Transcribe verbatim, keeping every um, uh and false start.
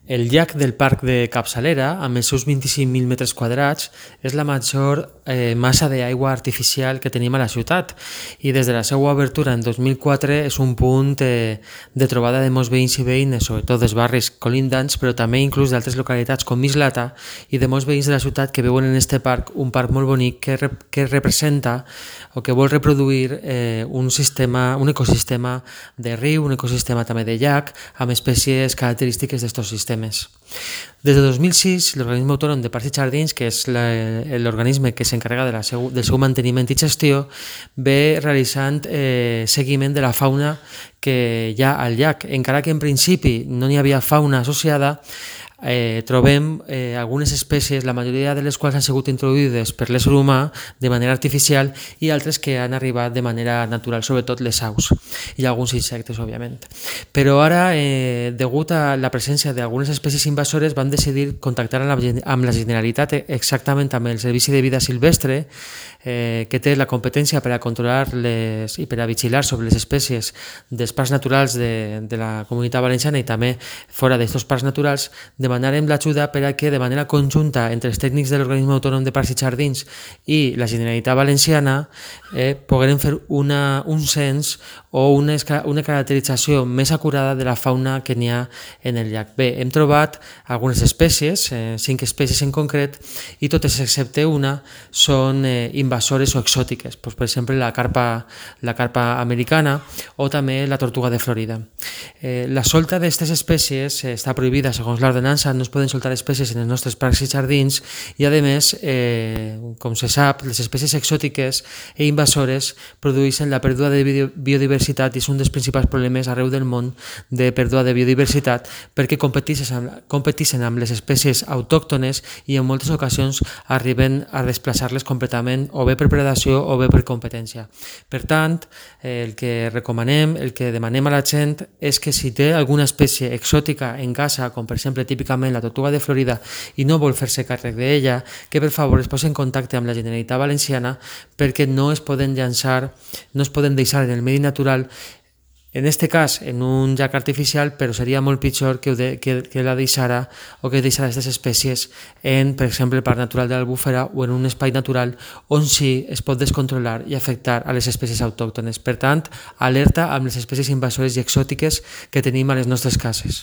El llac del Parc de Capçalera, amb els seus vint-i-cinc mil metres quadrats, és la major eh, massa d'aigua artificial que tenim a la ciutat i des de la seva obertura en dos mil quatre és un punt eh, de trobada de molts veïns i veïnes, sobretot dels barris colindants, però també inclús d'altres localitats com Mislata i de molts veïns de la ciutat que veuen en aquest parc un parc molt bonic que, rep que representa o que vol reproduir eh, un, sistema, un ecosistema de riu, un ecosistema també de llac, amb espècies característiques d'estos sistemes. Des de dos mil sis, l'Organisme Autònom de Parcs i Jardins, que és l'organisme que s'encarrega de la seu, del seu manteniment i gestió, ve realitzant eh, seguiment de la fauna que hi ha al llac. Encara que en principi no n'hi havia fauna associada, eh, trobem eh, algunes espècies, la majoria de les quals han sigut introduïdes per l'ésser humà de manera artificial i altres que han arribat de manera natural, sobretot les aus i alguns insectes, òbviament. Però ara, eh, degut a la presència d'algunes espècies invasores, vam decidir contactar amb la, amb la Generalitat, exactament amb el Servici de Vida Silvestre, eh, que té la competència per a controlar les, i per a vigilar sobre les espècies dels parcs naturals de, de la Comunitat Valenciana i també fora d'aquests parcs naturals, demanarem l'ajuda per a que de manera conjunta entre els tècnics de l'Organisme Autònom de Parcs i Jardins i la Generalitat Valenciana eh, poguem fer una, un cens o una, una caracterització més acurada de la fauna que n'hi ha en el llac. Bé, hem trobat algunes espècies, eh, cinc espècies en concret, i totes excepte una són eh, invasores o exòtiques, pues, per exemple la carpa, la carpa americana o també la tortuga de Florida. Eh, la solta d'aquestes espècies eh, està prohibida segons l'ordenança, no es poden soltar espècies en els nostres parcs i jardins i a més, eh, com se sap, les espècies exòtiques i invasores produeixen la pèrdua de biodiversitat i és un dels principals problemes arreu del món de pèrdua de biodiversitat perquè competeixen amb, competeixen amb les espècies autòctones i en moltes ocasions arriben a desplaçar-les completament o bé per predació o bé per competència. Per tant, el que recomanem, el que demanem a la gent és que si té alguna espècie exòtica en casa, com per exemple típicament la tortuga de Florida i no vol fer-se càrrec d'ella, que per favor es posi en contacte amb la Generalitat Valenciana perquè no es poden llançar, no es poden deixar en el medi natural, en aquest cas en un llac artificial, però seria molt pitjor que, de, que, que la deixara o que deixara aquestes espècies en, per exemple, el Parc Natural de l'Albufera o en un espai natural on sí es pot descontrolar i afectar a les espècies autòctones. Per tant, alerta amb les espècies invasores i exòtiques que tenim a les nostres cases.